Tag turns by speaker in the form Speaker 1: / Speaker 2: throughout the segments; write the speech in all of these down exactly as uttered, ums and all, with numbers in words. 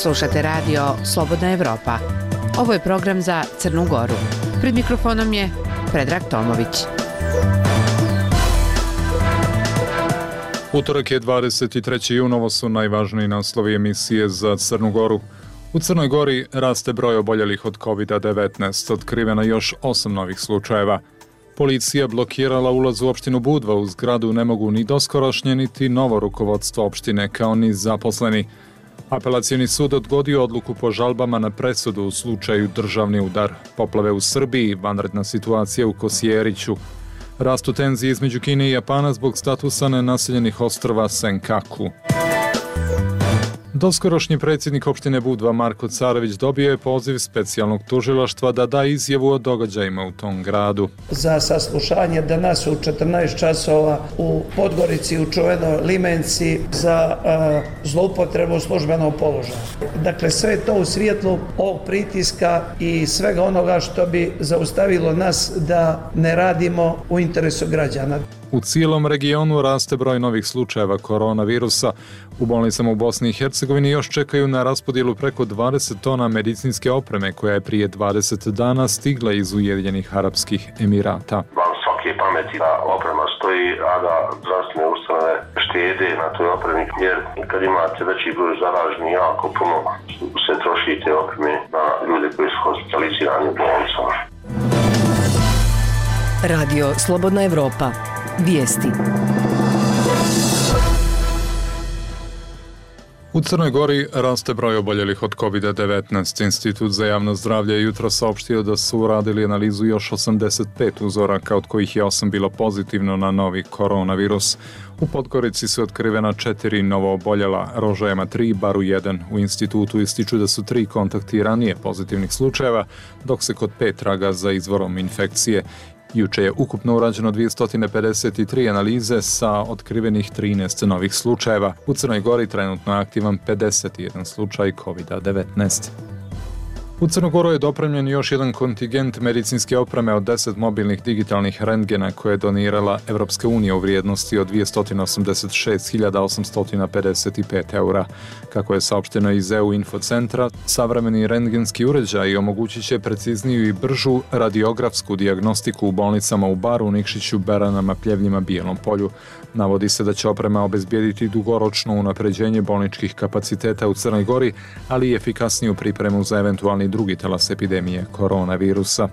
Speaker 1: Slušate radio Slobodna Evropa. Ovo je program za Crnu Goru. Pred mikrofonom je Predrag Tomović.
Speaker 2: Utorak je dvadeset treći jun, ovo su najvažniji naslovi emisije za Crnu Goru. U Crnoj Gori raste broj oboljelih od kovid devetnaest, otkriveno još osam novih slučajeva. Policija blokirala ulaz u opštinu Budva, u zgradu ne mogu ni doskorošnje, niti novo rukovodstvo opštine, kao ni zaposleni. Apelacioni sud odgodio odluku po žalbama na presudu u slučaju državni udar. Poplave u Srbiji, vanredna situacija u Kosjeriću. Rastu tenzije između Kine i Japana zbog statusa nenaseljenih ostrva Senkaku. Doskorošnji predsjednik opštine Budva Marko Carević dobio je poziv specijalnog tužilaštva da da izjavu o događajima u tom gradu.
Speaker 3: Za saslušanje danas u četrnaest časova u Podgorici, u čuvenoj Limenci, za uh, zloupotrebu službenog položaja. Dakle, sve to u svjetlu ovog pritiska i svega onoga što bi zaustavilo nas da ne radimo u interesu građana.
Speaker 2: U cijelom regionu raste broj novih slučajeva koronavirusa. U bolnicama u Bosni i Hercegovini još čekaju na raspodjelu preko dvadeset tona medicinske opreme koja je prije dvadeset dana stigla iz Ujedinjenih Arapskih Emirata.
Speaker 4: Van svake pameti da oprema stoji, a da zdravstvene ustanove štede na toj opremi, jer kad imate veći broj zaraženih, jako puno se troši te opreme na ljude koji su hospitalizirani u bolnicama.
Speaker 5: Radio Slobodna Evropa. Vijesti.
Speaker 2: U Crnoj Gori raste broj oboljelih od kovid devetnaest. Institut za javno zdravlje je jutro saopštio da su uradili analizu još osamdeset pet uzoraka, od kojih je osam bilo pozitivno na novi koronavirus. U Podgorici su otkrivena četiri novo oboljela, Rožajama tri, Baru jedan. U institutu ističu da su tri kontakti ranije pozitivnih slučajeva, dok se kod pet traga za izvorom infekcije. Juče je ukupno urađeno dvjesto pedeset tri analize sa otkrivenih trinaest novih slučajeva. U Crnoj Gori trenutno je aktivan pedeset jedan slučaj kovid devetnaest. U Crnu Goru je dopremljen još jedan kontingent medicinske opreme od deset mobilnih digitalnih rentgena koje je donirala Evropska unija u vrijednosti od dvjesto osamdeset šest hiljada osamsto pedeset pet eura. Kako je saopšteno iz E U Infocentra, savremeni rentgenski uređaj omogućit će precizniju i bržu radiografsku dijagnostiku u bolnicama u Baru, Nikšiću, Beranama, Pljevljima, Bijelom Polju. Navodi se da će oprema obezbijediti dugoročno unapređenje bolničkih kapaciteta u Crnoj Gori, ali i efikasniju pripremu za eventualni drugi talas epidemije koronavirusa.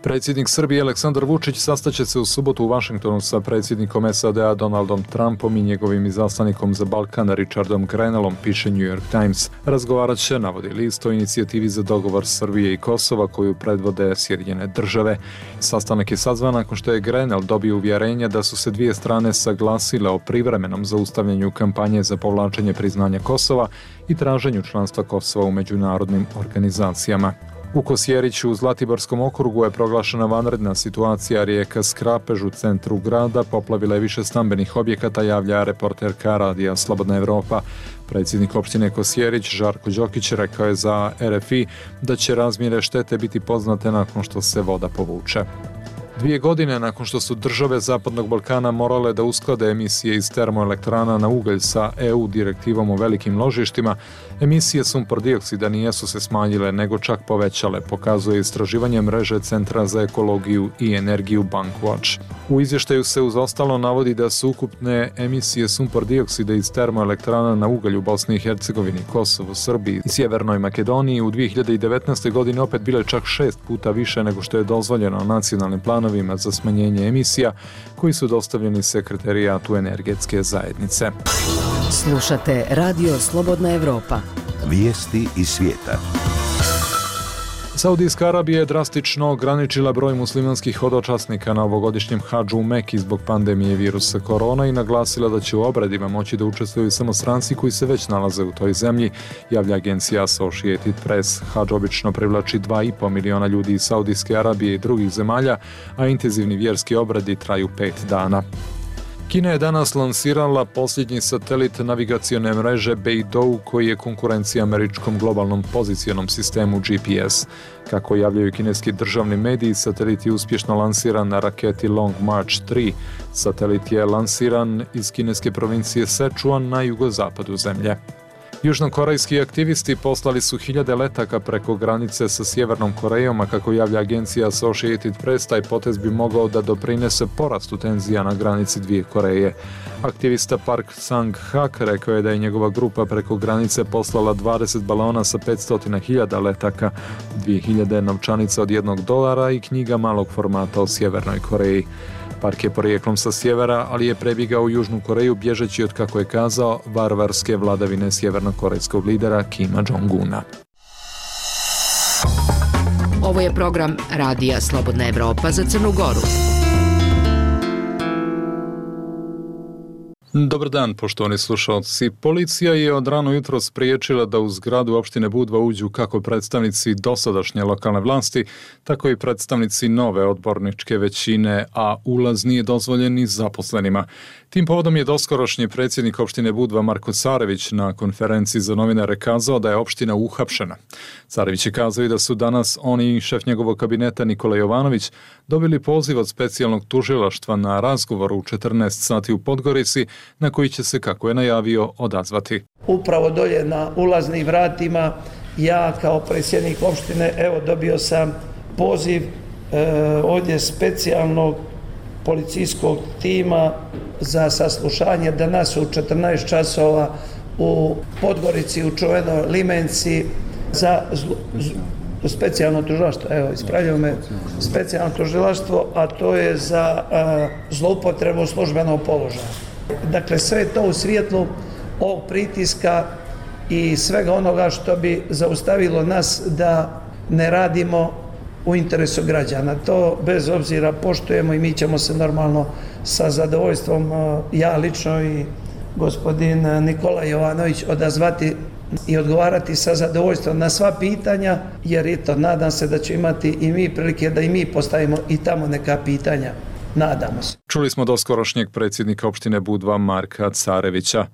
Speaker 2: Predsjednik Srbije Aleksandar Vučić sastaće se u subotu u Vašingtonu sa predsjednikom S A D-a Donaldom Trumpom i njegovim izaslanikom za Balkan Richardom Grenellom, piše New York Times. Razgovarat će, navodi list, o inicijativi za dogovor Srbije i Kosova koju predvode Sjedinjene države. Sastanak je sazvan nakon što je Grenell dobio uvjerenja da su se dvije strane saglasile o privremenom zaustavljanju kampanje za povlačenje priznanja Kosova i traženju članstva Kosova u međunarodnim organizacijama. U Kosjeriću u Zlatiborskom okrugu je proglašena vanredna situacija. Rijeka Skrapež u centru grada poplavila je više stambenih objekata, javlja reporterka radija Slobodna Evropa. Predsjednik opštine Kosjerić Žarko Đokić rekao je za R F I da će razmjere štete biti poznate nakon što se voda povuče. Dvije godine nakon što su države Zapadnog Balkana morale da usklade emisije iz termoelektrana na ugalj sa E U direktivom o velikim ložištima, emisije sumpor dioksida nijesu se smanjile, nego čak povećale, pokazuje istraživanje mreže Centra za ekologiju i energiju Bankwatch. U izvještaju se uz ostalo navodi da su ukupne emisije sumpor dioksida iz termoelektrana na ugalj u Bosni i Hercegovini, Kosovu, Srbiji i Sjevernoj Makedoniji u dvije hiljade devetnaestoj. godini opet bile čak šest puta više nego što je dozvoljeno nacionalnim planom za smanjenje emisija koji su dostavljeni Sekretarijatu energetske zajednice.
Speaker 5: Slušate Radio Slobodna Evropa.
Speaker 6: Vijesti iz svijeta.
Speaker 2: Saudijska Arabija je drastično ograničila broj muslimanskih hodočasnika na ovogodišnjem hadžu u Meki zbog pandemije virusa korona i naglasila da će u obredima moći da učestvuju samo stranci koji se već nalaze u toj zemlji, javlja agencija Associated Press. Hadž obično privlači dva i po miliona ljudi iz Saudijske Arabije i drugih zemalja, a intenzivni vjerski obredi traju pet dana. Kina je danas lansirala posljednji satelit navigacione mreže Beidou, koji je konkurencija američkom globalnom pozicionom sistemu G P S. Kako javljaju kineski državni mediji, satelit je uspješno lansiran na raketi Long March tri. Satelit je lansiran iz kineske provincije Sichuan na jugozapadu zemlje. Južnokorejski aktivisti poslali su hiljade letaka preko granice sa Sjevernom Korejom, a kako javlja agencija Associated Press, taj potez bi mogao da doprinese porastu tenzija na granici dvije Koreje. Aktivista Park Sang-hak rekao je da je njegova grupa preko granice poslala dvadeset balona sa petsto hiljada letaka, dvije hiljade novčanica od jednog dolara i knjiga malog formata o Sjevernoj Koreji. Park je porijeklom sa sjevera, ali je prebjegao u Južnu Koreju bježeći od, kako je kazao, varvarske vladavine sjevernokorejskog lidera Kima Jong-una.
Speaker 5: Ovo je program Radija Slobodna Evropa za Crnu Goru.
Speaker 2: Dobar dan, poštovani slušalci. Policija je od rano jutro spriječila da u zgradu opštine Budva uđu kako predstavnici dosadašnje lokalne vlasti, tako i predstavnici nove odborničke većine, a ulaz nije dozvoljen ni zaposlenima. Tim povodom je doskorošnji predsjednik opštine Budva Marko Carević na konferenciji za novinare kazao da je opština uhapšena. Carević je kazao i da su danas oni i šef njegovog kabineta Nikola Jovanović dobili poziv od specijalnog tužilaštva na razgovor u četrnaest sati u Podgorici, na koji će se, kako je najavio, odazvati.
Speaker 3: Upravo dolje na ulaznim vratima ja kao predsjednik opštine evo dobio sam poziv e, ovdje specijalnog policijskog tima za saslušanje danas u četrnaest časova u Podgorici, u čuvenoj Limenci za zlu, zlu, specijalno tužilaštvo, evo ispravljaju me, specijalno tužilaštvo, a to je za a, zloupotrebu službenog položaja. Dakle, sve je to u svjetlu ovog pritiska i svega onoga što bi zaustavilo nas da ne radimo u interesu građana. To bez obzira poštujemo i mi ćemo se normalno sa zadovoljstvom, ja lično i gospodin Nikola Jovanović, odazvati i odgovarati sa zadovoljstvom na sva pitanja, jer eto, nadam se da će imati i mi prilike da i mi postavimo i tamo neka pitanja. Nadamo se.
Speaker 2: Čuli smo doskorošnjeg predsjednika opštine Budva Marka Carevića.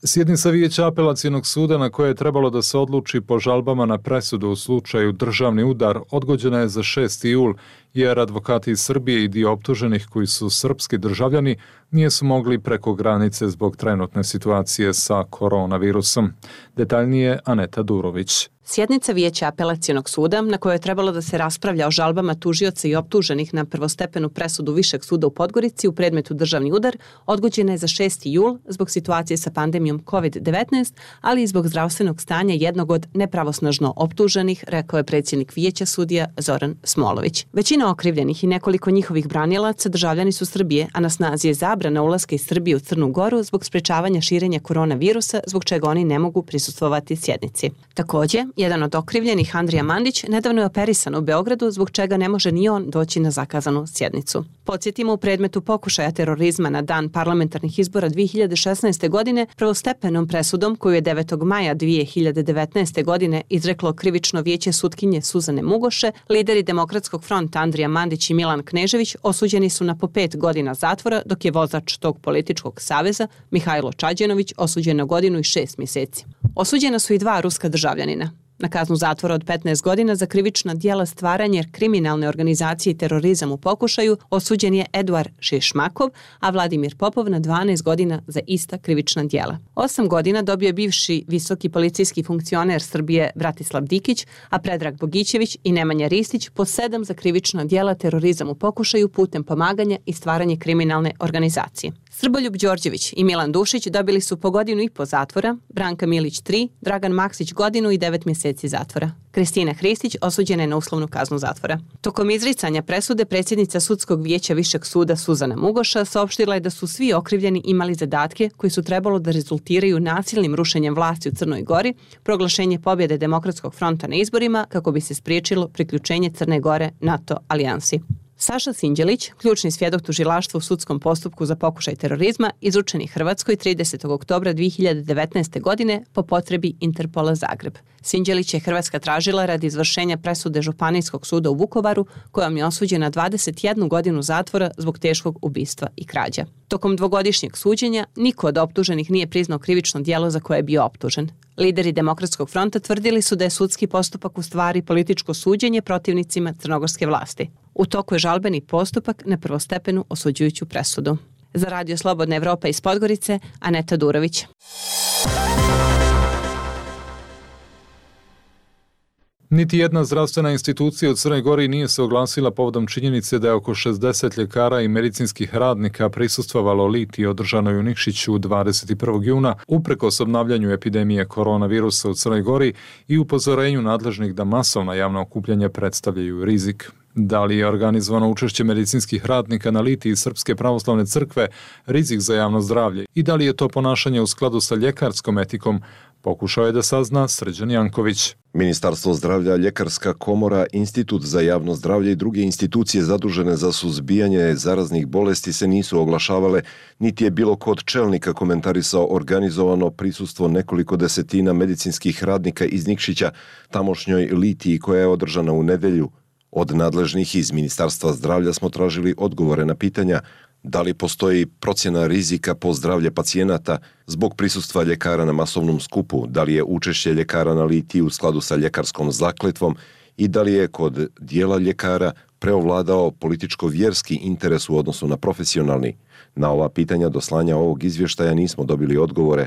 Speaker 2: Sjednica Vijeća apelacionog suda na koje je trebalo da se odluči po žalbama na presudu u slučaju državni udar odgođena je za šesti jul, jer advokati iz Srbije i dio optuženih koji su srpski državljani nisu mogli preko granice zbog trenutne situacije sa koronavirusom. Detaljnije Aneta Durović.
Speaker 7: Sjednica Vijeća apelacionog suda, na kojoj je trebalo da se raspravlja o žalbama tužioca i optuženih na prvostepenu presudu Višeg suda u Podgorici u predmetu državni udar, odgođena je za šesti jul zbog situacije sa pandemijom kovid devetnaest, ali i zbog zdravstvenog stanja jednog od nepravosnažno optuženih, rekao je predsjednik Vijeća sudija Zoran Smolović. Većina okrivljenih i nekoliko njihovih branilaca državljani su Srbije, a na snazi je zabrana ulaska iz Srbije u Crnu Goru zbog sprečavanja širenja koronavirusa, zbog čega oni ne mogu prisustvovati sjednici. Također, jedan od okrivljenih, Andrija Mandić, nedavno je operisan u Beogradu, zbog čega ne može ni on doći na zakazanu sjednicu. Podsjetimo, u predmetu pokušaja terorizma na dan parlamentarnih izbora dvije hiljade šesnaeste. godine prvostepenom presudom koju je devetog maja dvije hiljade devetnaeste. godine izreklo krivično vijeće sutkinje Suzane Mugoše, lideri Demokratskog fronta Andrija Mandić i Milan Knežević osuđeni su na po pet godina zatvora, dok je vozač tog političkog saveza, Mihajlo Čađenović, osuđen na godinu i šest mjeseci. Osuđena su i dva ruska državljanina. Na kaznu zatvora od petnaest godina za krivična djela stvaranje kriminalne organizacije i terorizam u pokušaju osuđen je Eduard Šišmakov, a Vladimir Popov na dvanaest godina za ista krivična djela. Osam godina dobio je bivši visoki policijski funkcioner Srbije Bratislav Dikić, a Predrag Bogićević i Nemanja Ristić po sedam za krivična djela terorizam u pokušaju putem pomaganja i stvaranje kriminalne organizacije. Srboljub Đorđević i Milan Dušić dobili su po godinu i po zatvora, Branka Milić tri, Dragan Maksić godinu i devet mjeseci zatvora. Kristina Hristić osuđena je na uslovnu kaznu zatvora. Tokom izricanja presude predsjednica sudskog vijeća Višeg suda Suzana Mugoša saopštila je da su svi okrivljeni imali zadatke koji su trebalo da rezultiraju nasilnim rušenjem vlasti u Crnoj Gori, proglašenje pobjede Demokratskog fronta na izborima kako bi se spriječilo priključenje Crne Gore NATO alijansi. Saša Sinđelić, ključni svjedok tužilaštva u sudskom postupku za pokušaj terorizma, izručen je Hrvatskoj tridesetog oktobra dvije hiljade devetnaeste. godine po potrebi Interpola Zagreb. Sinđelić je Hrvatska tražila radi izvršenja presude Županijskog suda u Vukovaru, kojom je osuđen na dvadeset jednu godinu zatvora zbog teškog ubistva i krađa. Tokom dvogodišnjeg suđenja niko od optuženih nije priznao krivično djelo za koje je bio optužen. Lideri Demokratskog fronta tvrdili su da je sudski postupak u stvari političko suđenje protivnicima crnogorske vlasti. U toku je žalbeni postupak na prvostepenu osuđujuću presudu. Za Radio Slobodna Evropa iz Podgorice, Aneta Durović.
Speaker 2: Niti jedna zdravstvena institucija u Crnoj Gori nije se oglasila povodom činjenice da je oko šezdeset ljekara i medicinskih radnika prisustvovalo litiji održanoj u Nikšiću dvadeset prvog juna uprkos obnavljanju epidemije koronavirusa u Crnoj Gori i upozorenju nadležnih da masovna javna okupljanja predstavljaju rizik. Da li je organizovano učešće medicinskih radnika na litiji Srpske pravoslavne crkve rizik za javno zdravlje i da li je to ponašanje u skladu sa ljekarskom etikom, pokušao je da sazna Srđan Janković.
Speaker 8: Ministarstvo zdravlja, Ljekarska komora, Institut za javno zdravlje i druge institucije zadužene za suzbijanje zaraznih bolesti se nisu oglašavale, niti je bilo ko od čelnika komentarisao organizovano prisustvo nekoliko desetina medicinskih radnika iz Nikšića tamošnjoj litiji koja je održana u nedelju. Od nadležnih iz Ministarstva zdravlja smo tražili odgovore na pitanja da li postoji procjena rizika po zdravlje pacijenata zbog prisustva ljekara na masovnom skupu, da li je učešće ljekara na litiji u skladu sa ljekarskom zakletvom i da li je kod dijela ljekara preovladao političko-vjerski interes u odnosu na profesionalni. Na ova pitanja do slanja ovog izvještaja nismo dobili odgovore.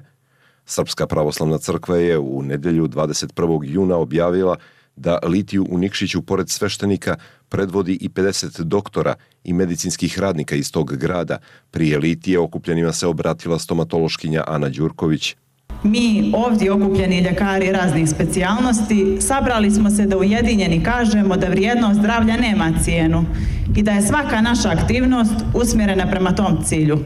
Speaker 8: Srpska pravoslavna crkva je u nedelju dvadeset prvog juna objavila da litiju u Nikšiću pored sveštenika predvodi i pedeset doktora i medicinskih radnika iz tog grada. Prije litije okupljenima se obratila stomatološkinja Ana Đurković.
Speaker 9: Mi ovdje okupljeni ljekari raznih specijalnosti sabrali smo se da ujedinjeni kažemo da vrijednost zdravlja nema cijenu i da je svaka naša aktivnost usmjerena prema tom cilju.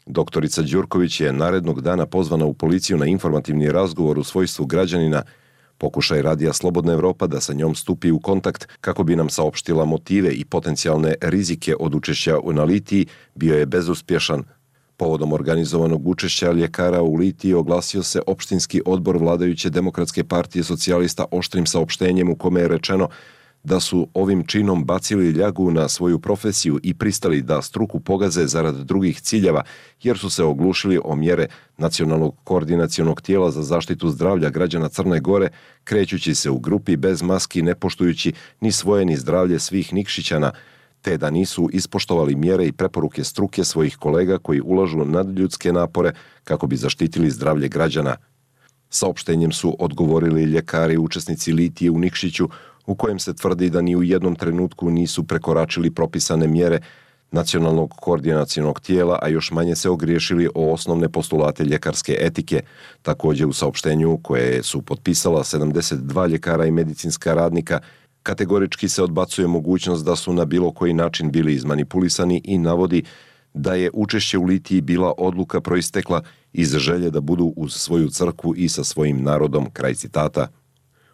Speaker 8: Doktorica Đurković je narednog dana pozvana u policiju na informativni razgovor u svojstvu građanina. Pokušaj Radija Slobodna Evropa da sa njom stupi u kontakt kako bi nam saopštila motive i potencijalne rizike od učešća na litiji bio je bezuspješan. Povodom organizovanog učešća ljekara u litiji oglasio se opštinski odbor vladajuće Demokratske partije socijalista oštrim saopštenjem u kome je rečeno da su ovim činom bacili ljagu na svoju profesiju i pristali da struku pogaze zarad drugih ciljeva, jer su se oglušili o mjere Nacionalnog koordinacionog tijela za zaštitu zdravlja građana Crne Gore, krećući se u grupi bez maski, ne poštujući ni svoje ni zdravlje svih Nikšićana, te da nisu ispoštovali mjere i preporuke struke svojih kolega koji ulažu nadljudske napore kako bi zaštitili zdravlje građana. Saopštenjem su odgovorili ljekari učesnici litije u Nikšiću, u kojem se tvrdi da ni u jednom trenutku nisu prekoračili propisane mjere Nacionalnog koordinacionog tijela, a još manje se ogriješili o osnovne postulate ljekarske etike. Također u saopštenju koje su potpisala sedamdeset dva ljekara i medicinska radnika, kategorički se odbacuje mogućnost da su na bilo koji način bili izmanipulisani i navodi da je učešće u litiji bila odluka proistekla iz želje da budu uz svoju crkvu i sa svojim narodom, kraj citata.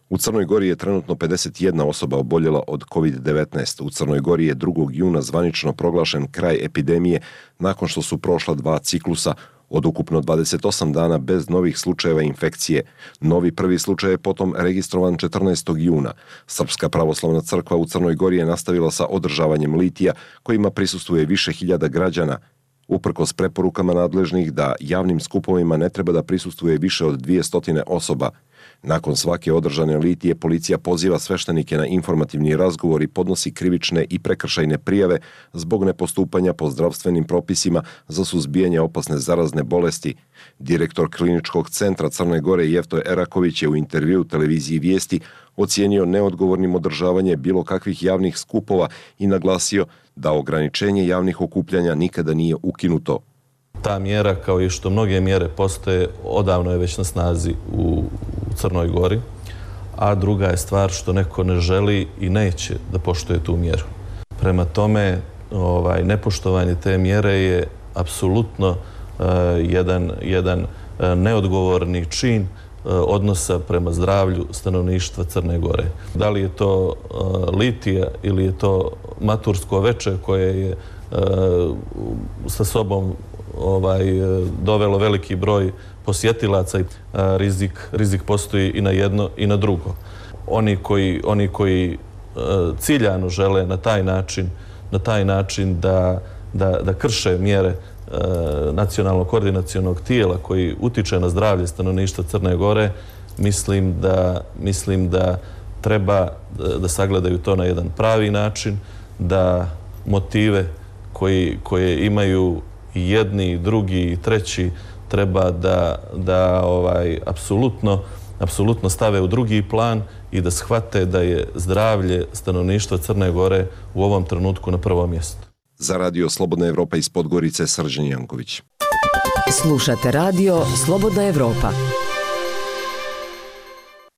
Speaker 8: U Crnoj Gori je trenutno pedeset jedna osoba oboljela od kovid devetnaest. U Crnoj Gori je drugog juna zvanično proglašen kraj epidemije nakon što su prošla dva ciklusa od ukupno dvadeset osam dana bez novih slučajeva infekcije. Novi prvi slučaj je potom registrovan četrnaestog juna. Srpska pravoslavna crkva u Crnoj Gori je nastavila sa održavanjem litija kojima prisustvuje više hiljada građana. Uprkos preporukama nadležnih da javnim skupovima ne treba da prisustvuje više od dvjesto osoba. Nakon svake održane litije policija poziva sveštenike na informativni razgovor i podnosi krivične i prekršajne prijave zbog nepostupanja po zdravstvenim propisima za suzbijanje opasne zarazne bolesti. Direktor kliničkog centra Crne Gore Jefto Eraković je u intervjuu televiziji Vijesti ocijenio neodgovornim održavanje bilo kakvih javnih skupova i naglasio da ograničenje javnih okupljanja nikada nije ukinuto.
Speaker 10: Ta mjera, kao i što mnoge mjere postoje, odavno je već na snazi u Crnoj Gori, a druga je stvar što neko ne želi i neće da poštuje tu mjeru. Prema tome, ovaj, nepoštovanje te mjere je apsolutno uh, jedan, jedan uh, neodgovorni čin uh, odnosa prema zdravlju stanovništva Crne Gore. Da li je to uh, litija ili je to matursko veče koje je uh, sa sobom ovaj, dovelo veliki broj posjetilaca i rizik, rizik postoji i na jedno i na drugo. Oni koji, oni koji ciljano žele na taj način, na taj način da, da, da krše mjere nacionalnog koordinacionog tijela koji utiče na zdravlje stanovništva Crne Gore, mislim da, mislim da treba da sagledaju to na jedan pravi način, da motive koji, koje imaju i jedni, i drugi, i treći treba da, da ovaj, apsolutno, apsolutno stave u drugi plan i da shvate da je zdravlje stanovništva Crne Gore u ovom trenutku na prvom mjestu.
Speaker 8: Za Radio Slobodna Evropa iz Podgorice, Srđan Janković.
Speaker 5: Slušate Radio Slobodna Evropa.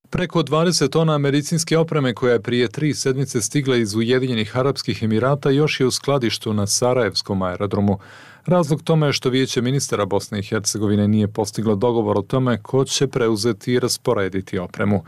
Speaker 2: Preko dvadeset tona medicinske opreme koja je prije tri sedmice stigla iz Ujedinjenih Arapskih Emirata još je u skladištu na Sarajevskom aerodromu. Razlog tome je što Vijeće ministara Bosne i Hercegovine nije postiglo dogovor o tome ko će preuzeti i rasporediti opremu.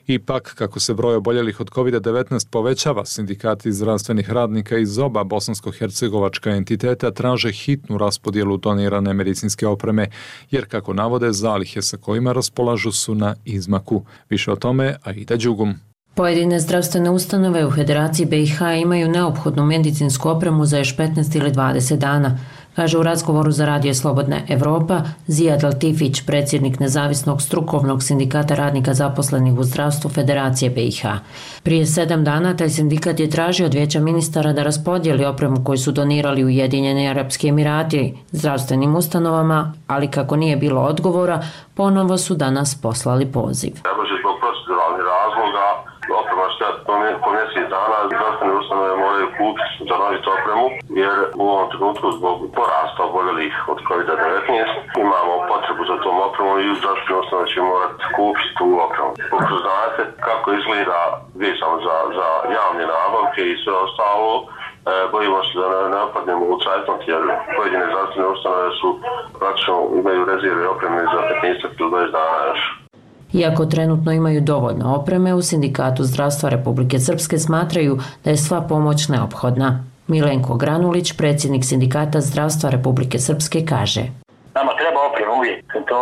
Speaker 2: Ipak, kako se broj oboljelih od kovid devetnaest povećava, sindikati zdravstvenih radnika iz oba bosansko-hercegovačka entiteta traže hitnu raspodjelu donirane medicinske opreme, jer kako navode, zalihe sa kojima raspolažu su na izmaku. Više o tome Aida Đugum.
Speaker 11: Pojedine zdravstvene ustanove u Federaciji B i H imaju neophodnu medicinsku opremu za još petnaest ili dvadeset dana, kaže u razgovoru za Radio Slobodna Evropa Zijad Latifić, predsjednik nezavisnog strukovnog sindikata radnika zaposlenih u zdravstvu Federacije B i H. Prije sedam dana taj sindikat je tražio od Vijeća ministara da raspodijeli opremu koju su donirali Ujedinjeni Arapski Emirati zdravstvenim ustanovama, ali kako nije bilo odgovora, ponovo su danas poslali poziv.
Speaker 4: Oprema što po mjesec dana zdravstvene ustanove moraju kupiti za novit opremu, jer u ovom trenutku zbog porasta oboljelih od kovid devetnaest imamo potrebu za tom opremom i zdravstvene ustanove će morati kupiti tu opremu. Kako znate kako izgleda vezano za, za javne nabavke i sve ostalo, e, bojimo se da ne, ne opadnemo u cajtnot, jer pojedine zdravstvene ustanove su praktično imaju rezerve opreme za petnaest do dvadeset dana još.
Speaker 11: Iako trenutno imaju dovoljno opreme, u Sindikatu zdravstva Republike Srpske smatraju da je sva pomoć neophodna. Milenko Granulić, predsjednik Sindikata zdravstva Republike Srpske, kaže:
Speaker 12: Nama treba oprema uvijek. To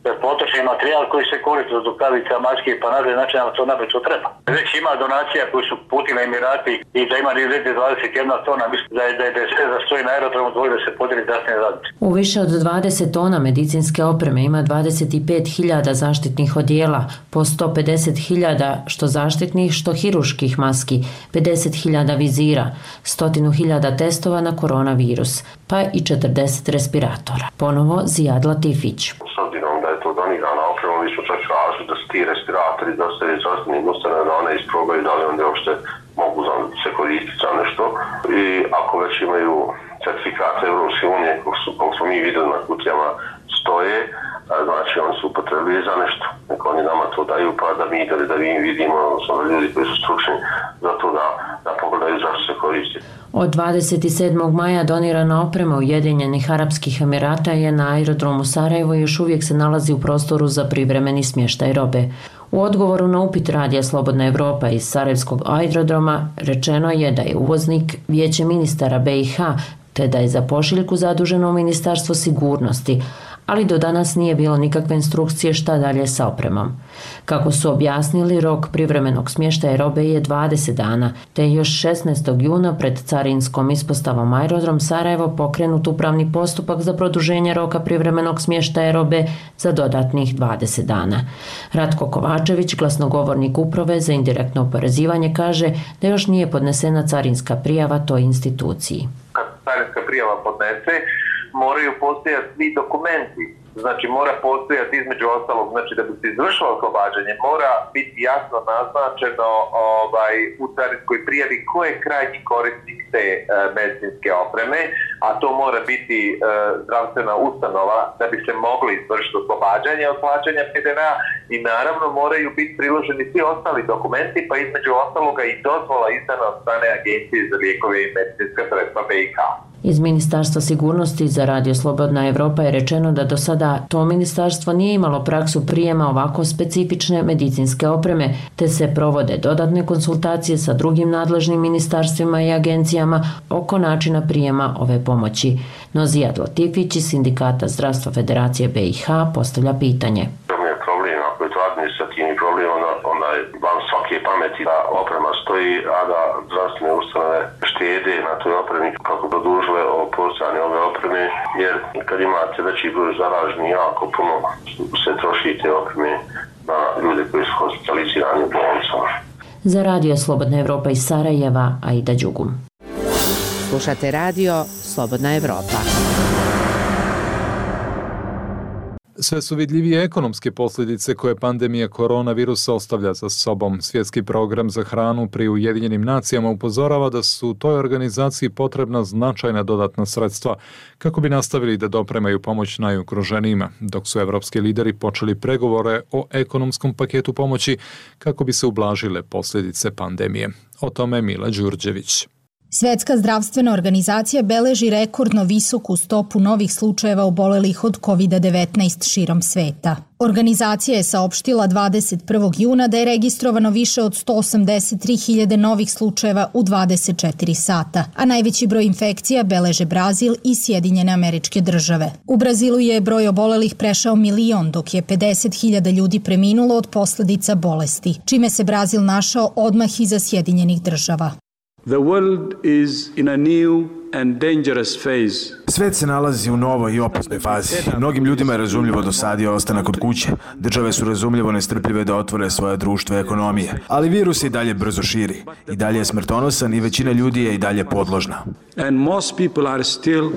Speaker 12: je potrošni materijal koji se koristi od rukavica, maske, pa nadalje, znači nam to naprosto treba. Već ima donacija koji su putili Emirati i da ima dvadeset jedna tona, mislim da je, da je, da je sve za stoji na aerodromu dvoje da se podijeli zdravstvene radnice.
Speaker 11: U više od dvadeset tona medicinske opreme ima dvadeset pet hiljada zaštitnih odijela, po sto pedeset hiljada što zaštitnih, što hiruških maski, pedeset hiljada vizira, sto hiljada testova na koronavirus, pa i četrdeset respiratora. Ponovo Zijad Latifić.
Speaker 4: S obzirom da je to donirana oprema, mi smo čak tražili da se ti respiratori dostave zdravstvenim ustanove da one isprobaju da li onda uopšte mogu se koristiti za nešto. I ako već imaju certifikate Evropske unije, kako smo mi vidjeli na kutijama stoje, znači oni su upotrebili za nešto. Neko oni nama to daju pa da mi da mi vidimo, odnosno ljudi koji su stručni za to da, da pogledaju zašto se koristi.
Speaker 11: Od dvadeset sedmog maja donirana oprema Ujedinjenih Arapskih Emirata je na aerodromu Sarajevo i još uvijek se nalazi u prostoru za privremeni smještaj robe. U odgovoru na upit Radija Slobodna Evropa iz Sarajevskog aerodroma rečeno je da je uvoznik Vijeće ministara B i H, te da je za pošiljku zaduženo Ministarstvo sigurnosti, ali do danas nije bilo nikakve instrukcije šta dalje sa opremom. Kako su objasnili, rok privremenog smještaja robe je dvadeset dana, te je još šesnaestog juna pred carinskom ispostavom aerodrom Sarajevo pokrenut upravni postupak za produženje roka privremenog smještaja robe za dodatnih dvadeset dana. Ratko Kovačević, glasnogovornik uprave za indirektno oporezivanje, kaže da još nije podnesena carinska prijava toj instituciji.
Speaker 13: Kad carinska prijava podnese, moraju postojati svi dokumenti. Znači mora postojati između ostalog, znači da bi se izvršilo oslobađanje, mora biti jasno naznačeno ovaj, u carinskoj prijavi ko je krajnji korisnik te e, medicinske opreme, a to mora biti e, zdravstvena ustanova da bi se moglo izvršiti oslobađanje od plaćanja P D V A i naravno moraju biti priloženi svi ostali dokumenti, pa između ostaloga i dozvola izdana od strane Agencije za lijekove i medicinska sredstva B i H.
Speaker 11: Iz Ministarstva sigurnosti za Radio Slobodna Evropa je rečeno da do sada to ministarstvo nije imalo praksu prijema ovako specifične medicinske opreme, te se provode dodatne konsultacije sa drugim nadležnim ministarstvima i agencijama oko načina prijema ove pomoći. No Zijad Latifić iz Sindikata zdravstva Federacije B i H postavlja pitanje.
Speaker 4: Problem, ako je to administrativni problem, onda, onda je van svake pameti da oprema stoji, a da zdravstvene ustanove štede na toj opremi kako produžile o postojanje ove opreme, jer kad imate veći broj zaraženih, jako puno se troši te opreme na ljude koji su hospitalizirani u bolnicama.
Speaker 11: Za Radio Slobodna Evropa iz Sarajeva, Aida Đugum.
Speaker 1: Slušate radio Slobodna Evropa.
Speaker 2: Sve su vidljivije ekonomske posljedice koje pandemija koronavirusa ostavlja za sobom. Svjetski program za hranu pri Ujedinjenim nacijama upozorava da su toj organizaciji potrebna značajna dodatna sredstva kako bi nastavili da dopremaju pomoć najugroženijima, dok su evropski lideri počeli pregovore o ekonomskom paketu pomoći kako bi se ublažile posljedice pandemije. O tome Mila Đurđević.
Speaker 14: Svetska zdravstvena organizacija beleži rekordno visoku stopu novih slučajeva obolelih od kovid devetnaest širom sveta. Organizacija je saopštila dvadeset prvog juna da je registrovano više od sto osamdeset tri hiljade novih slučajeva u dvadeset četiri sata, a najveći broj infekcija beleže Brazil i Sjedinjene Američke Države. U Brazilu je broj obolelih prešao milion, dok je pedeset hiljada ljudi preminulo od posljedica bolesti, čime se Brazil našao odmah iza Sjedinjenih Država.
Speaker 15: The world is in a new and dangerous phase.
Speaker 16: Svet se nalazi u novoj i opasnoj fazi. Mnogim ljudima je razumljivo dosadio ostanak od kuće. Države su razumljivo nestrpljive da otvore svoje društvo i ekonomije. Ali virus se i dalje brzo širi. I dalje je smrtonosan i većina ljudi je i dalje podložna.
Speaker 15: And most people are still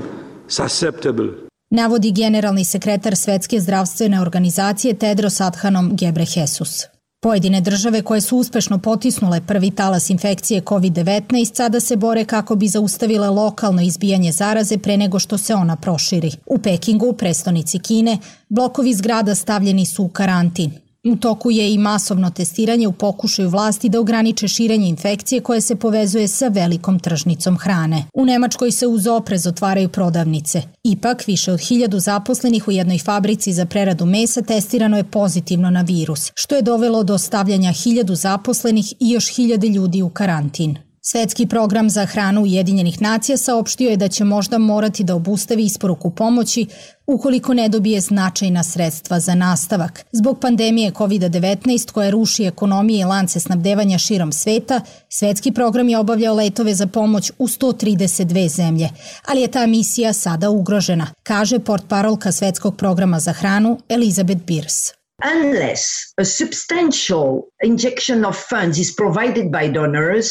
Speaker 15: susceptible.
Speaker 14: Navodi generalni sekretar Svetske zdravstvene organizacije Tedros Adhanom Ghebreyesus. Pojedine države koje su uspešno potisnule prvi talas infekcije kovid devetnaest sada se bore kako bi zaustavile lokalno izbijanje zaraze pre nego što se ona proširi. U Pekingu, prestonici Kine, blokovi zgrada stavljeni su u karantin. U toku je i masovno testiranje u pokušaju vlasti da ograniče širenje infekcije koje se povezuje sa velikom tržnicom hrane. U Nemačkoj se uz oprez otvaraju prodavnice. Ipak, više od hiljadu zaposlenih u jednoj fabrici za preradu mesa testirano je pozitivno na virus, što je dovelo do stavljanja hiljadu zaposlenih i još hiljade ljudi u karantin. Svetski program za hranu Ujedinjenih nacija saopštio je da će možda morati da obustavi isporuku pomoći ukoliko ne dobije značajna sredstva za nastavak. Zbog pandemije kovid devetnaest koja ruši ekonomije i lance snabdevanja širom sveta, svetski program je obavljao letove za pomoć u sto trideset dve zemlje, ali je ta misija sada ugrožena, kaže portparolka Svetskog programa za hranu Elizabeth Beers.
Speaker 17: Unless a substantial injection of funds is provided by donors.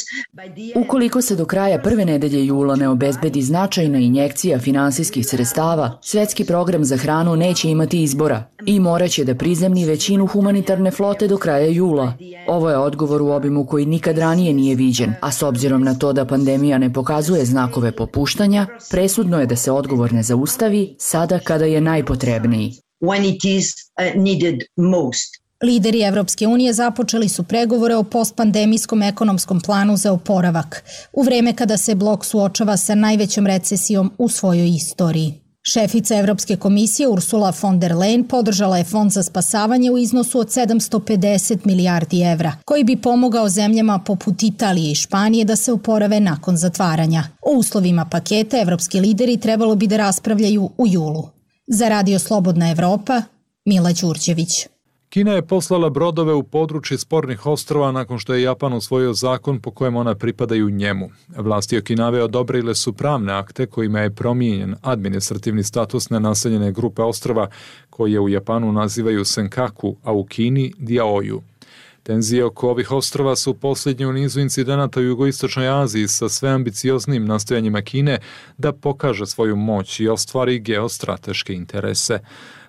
Speaker 18: Ukoliko se do kraja prve nedelje jula ne obezbedi značajna injekcija finansijskih sredstava, Svetski program za hranu neće imati izbora i moraće da prizemni većinu humanitarne flote do kraja jula. Ovo je odgovor u obimu koji nikad ranije nije viđen, a s obzirom na to da pandemija ne pokazuje znakove popuštanja, presudno je da se odgovor ne zaustavi sada kada je najpotrebniji.
Speaker 17: When it is uh, needed most.
Speaker 14: Lideri Evropske unije započeli su pregovore o postpandemijskom ekonomskom planu za oporavak, u vreme kada se blok suočava sa najvećom recesijom u svojoj istoriji. Šefica Evropske komisije Ursula von der Leyen podržala je fond za spasavanje u iznosu od sedamsto pedeset milijardi evra, koji bi pomogao zemljama poput Italije i Španije da se oporave nakon zatvaranja. O uslovima paketa evropski lideri trebalo bi da raspravljaju u julu. Za Radio Slobodna Evropa, Mila Đurđević.
Speaker 2: Kina je poslala brodove u područje spornih ostrva nakon što je Japan usvojio zakon po kojem ona pripadaju njemu. Vlasti Okinave odobrile su pravne akte kojima je promijenjen administrativni status nenaseljene grupe ostrva koje u Japanu nazivaju Senkaku, a u Kini Diaoju. Tenzije oko ovih ostrva su posljednje u nizu incidenata u jugoistočnoj Aziji sa sve ambicioznim nastojanjima Kine da pokaže svoju moć i ostvari geostrateške interese.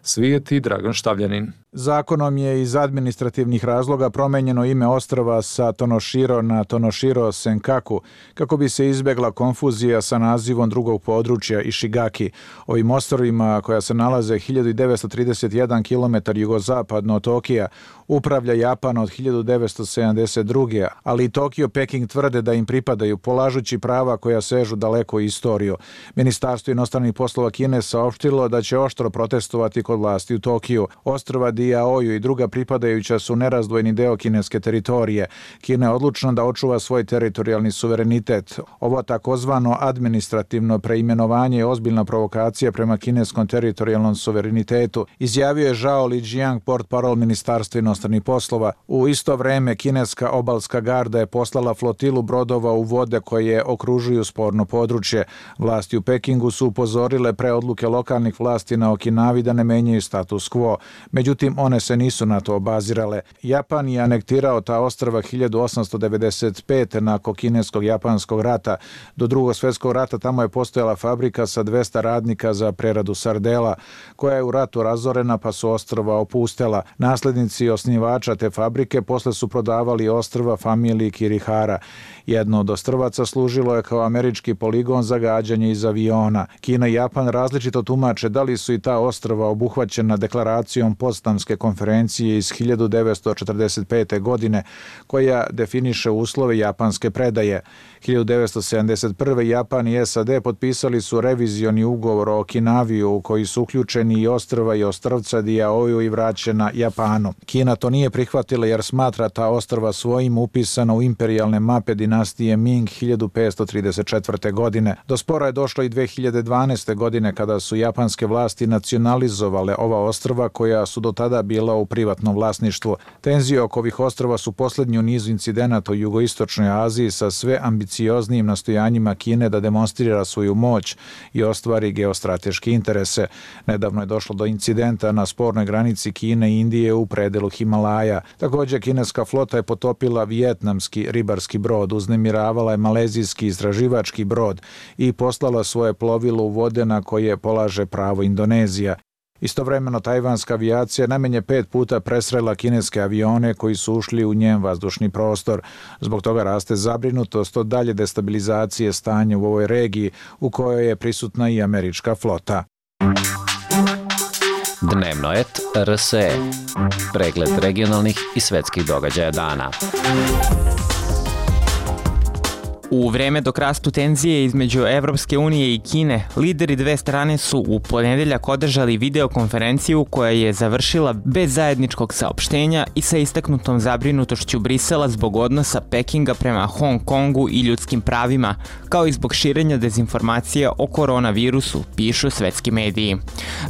Speaker 2: Svijet i Dragan Štavljanin.
Speaker 19: Zakonom je iz administrativnih razloga promenjeno ime ostrva sa Tonoshiro na Tonoshiro Senkaku kako bi se izbegla konfuzija sa nazivom drugog područja Ishigaki. Ovim ostrvima koja se nalaze hiljadu devetsto trideset jedan kilometar jugozapadno od Tokija upravlja Japan od hiljadu devetsto sedamdeset druge. ali i Tokio Peking tvrde da im pripadaju polažući prava koja sežu daleko u istoriju. Ministarstvo inostranih poslova Kine saopštilo da će oštro protestovati kod vlasti u Tokiju. Ostrva Diaoju i druga pripadajuća su nerazdvojni deo kineske teritorije. Kina je odlučna da očuva svoj teritorijalni suverenitet. Ovo takozvano administrativno preimenovanje je ozbiljna provokacija prema kineskom teritorijalnom suverenitetu, izjavio je Zhao Lijiang, portparol Ministarstva inostranih poslova. U isto vreme kineska obalska garda je poslala flotilu brodova u vode koje okružuju sporno područje. Vlasti u Pekingu su upozorile pre odluke lokalnih vlasti na Okinavi da ne menjaju menjaju status quo. Međutim, one se nisu na to obazirale. Japan je anektirao ta ostrva hiljadu osamsto devedeset pete nakon kinesko-japanskog rata. Do drugog svjetskog rata tamo je postojala fabrika sa dvesta radnika za preradu sardela, koja je u ratu razorena pa su ostrva opustela. Naslednici osnivača te fabrike posle su prodavali ostrva familiji Kirihara. Jedno od ostrvaca služilo je kao američki poligon za gađanje iz aviona. Kina i Japan različito tumače da li su i ta ostrva obuhvaćena deklaracijom Potsdamske konferencije iz hiljadu devetsto četrdeset pete. godine, koja definiše uslove japanske predaje. hiljadu devetsto sedamdeset prve. Japan i S A D potpisali su revizioni ugovor o Okinaviju u koji su uključeni i ostrva i ostrvca Diaoju i vraćena Japanu. Kina to nije prihvatila jer smatra ta ostrva svojim upisano u imperijalne mape dinastije Ming hiljadu petsto trideset četvrte. godine. Do spora je došlo i dve hiljade dvanaeste. godine kada su japanske vlasti nacionalizovale ova ostrva koja su do tada bila u privatnom vlasništvu. Tenzije oko ovih ostrva su poslednji u nizu incidenata u jugoistočnoj Aziji sa sve ambicioznijim nastojanjima Kine da demonstrira svoju moć i ostvari geostrateške interese. Nedavno je došlo do incidenta na spornoj granici Kine i Indije u predelu Himalaja. Također, kineska flota je potopila vijetnamski ribarski brod, uznemiravala je malezijski istraživački brod i poslala svoje plovilo u vode na koje polaže pravo Indonezija. Istovremeno, tajvanska avijacija najmanje pet puta presrela kineske avione koji su ušli u njen vazdušni prostor. Zbog toga raste zabrinutost od dalje destabilizacije stanja u ovoj regiji u kojoj je prisutna i američka flota.
Speaker 20: Dnevno et R S E. Pregled regionalnih i svetskih događaja dana.
Speaker 21: U vreme dok rastu tenzije između Evropske unije i Kine, lideri dve strane su u ponedeljak održali videokonferenciju koja je završila bez zajedničkog saopštenja i sa istaknutom zabrinutošću Brisela zbog odnosa Pekinga prema Hong Kongu i ljudskim pravima, kao i zbog širenja dezinformacija o koronavirusu, pišu svetski mediji.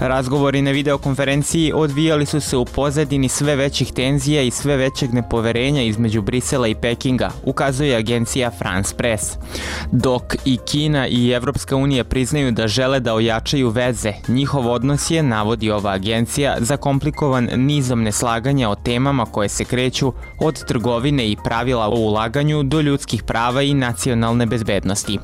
Speaker 21: Razgovori na videokonferenciji odvijali su se u pozadini sve većih tenzija i sve većeg nepoverenja između Brisela i Pekinga, ukazuje agencija France Press. Dok i Kina i Evropska unija priznaju da žele da ojačaju veze, njihov odnos je, navodi ova agencija, zakomplikovan nizom neslaganja o temama koje se kreću od trgovine i pravila o ulaganju do ljudskih prava i nacionalne bezbednosti.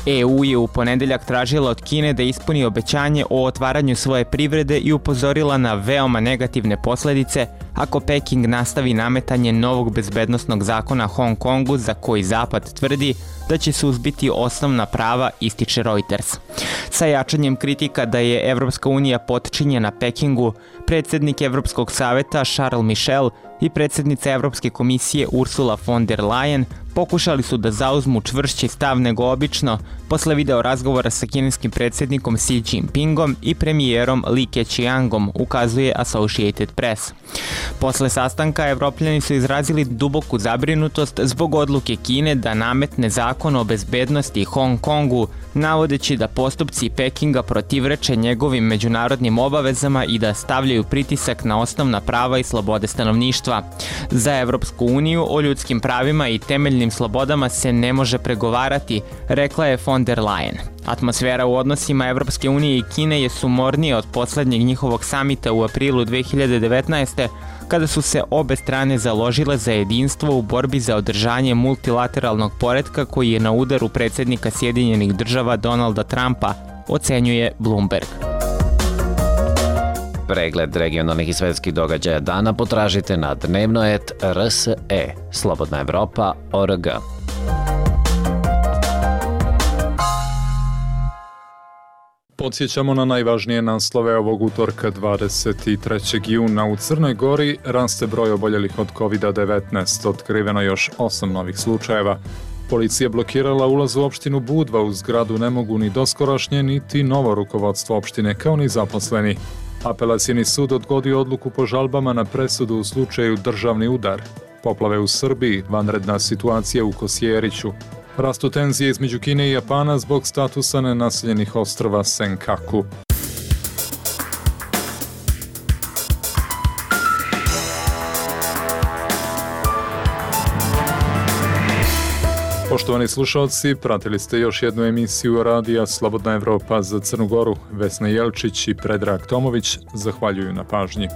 Speaker 21: E U je u ponedeljak tražila od Kine da ispuni obećanje o otvaranju svoje privrede i upozorila na veoma negativne posledice ako Peking nastavi nametanje novog bezbednosnog zakona Hong Kongu za koji Zapad tvrdi da će suzbiti osnovna prava, ističe Reuters. Sa jačanjem kritika da je Evropska unija potčinjena Pekingu, predsjednik Evropskog saveta Charles Michel i predsjednica Evropske komisije Ursula von der Leyen pokušali su da zauzmu čvršći stav nego obično posle video razgovora sa kineskim predsjednikom Xi Jinpingom i premijerom Li Keqiangom, ukazuje Associated Press. Posle sastanka, Evropljani su izrazili duboku zabrinutost zbog odluke Kine da nametne zakon o bezbednosti Hong Kongu, navodeći da postupci Pekinga protivreče njegovim međunarodnim obavezama i da stavljaju pritisak na osnovna prava i slobode stanovništva. Za Evropsku uniju o ljudskim pravima i temeljnim slobodama se ne može pregovarati, rekla je von der Leyen. Atmosfera u odnosima Evropske unije i Kine je sumornija od poslednjeg njihovog samita u aprilu dve hiljade devetnaeste. kada su se obe strane založile za jedinstvo u borbi za održanje multilateralnog poretka koji je na udaru predsjednika Sjedinjenih država Donalda Trumpa, ocenjuje Bloomberg.
Speaker 20: Pregled regionalnih i svetskih događaja dana potražite na dnevno et R S E, Slobodna Evropa, O R G.
Speaker 2: Podsjećamo na najvažnije naslove ovog utorka dvadeset trećeg juna. U Crnoj Gori raste broj oboljelih od kovid devetnaest, otkriveno još osam novih slučajeva. Policija blokirala ulaz u opštinu Budva, u zgradu ne mogu ni doskorašnje niti novo rukovodstvo opštine kao ni zaposleni. Apelacioni sud odgodio odluku po žalbama na presudu u slučaju državni udar. Poplave u Srbiji, vanredna situacija u Kosjeriću. Rastu tenzije između Kine i Japana zbog statusa nenaseljenih ostrva Senkaku. Poštovani slušalci, pratili ste još jednu emisiju radija Slobodna Evropa za Crnu Goru. Vesna Jelčić i Predrag Tomović zahvaljuju na pažnji.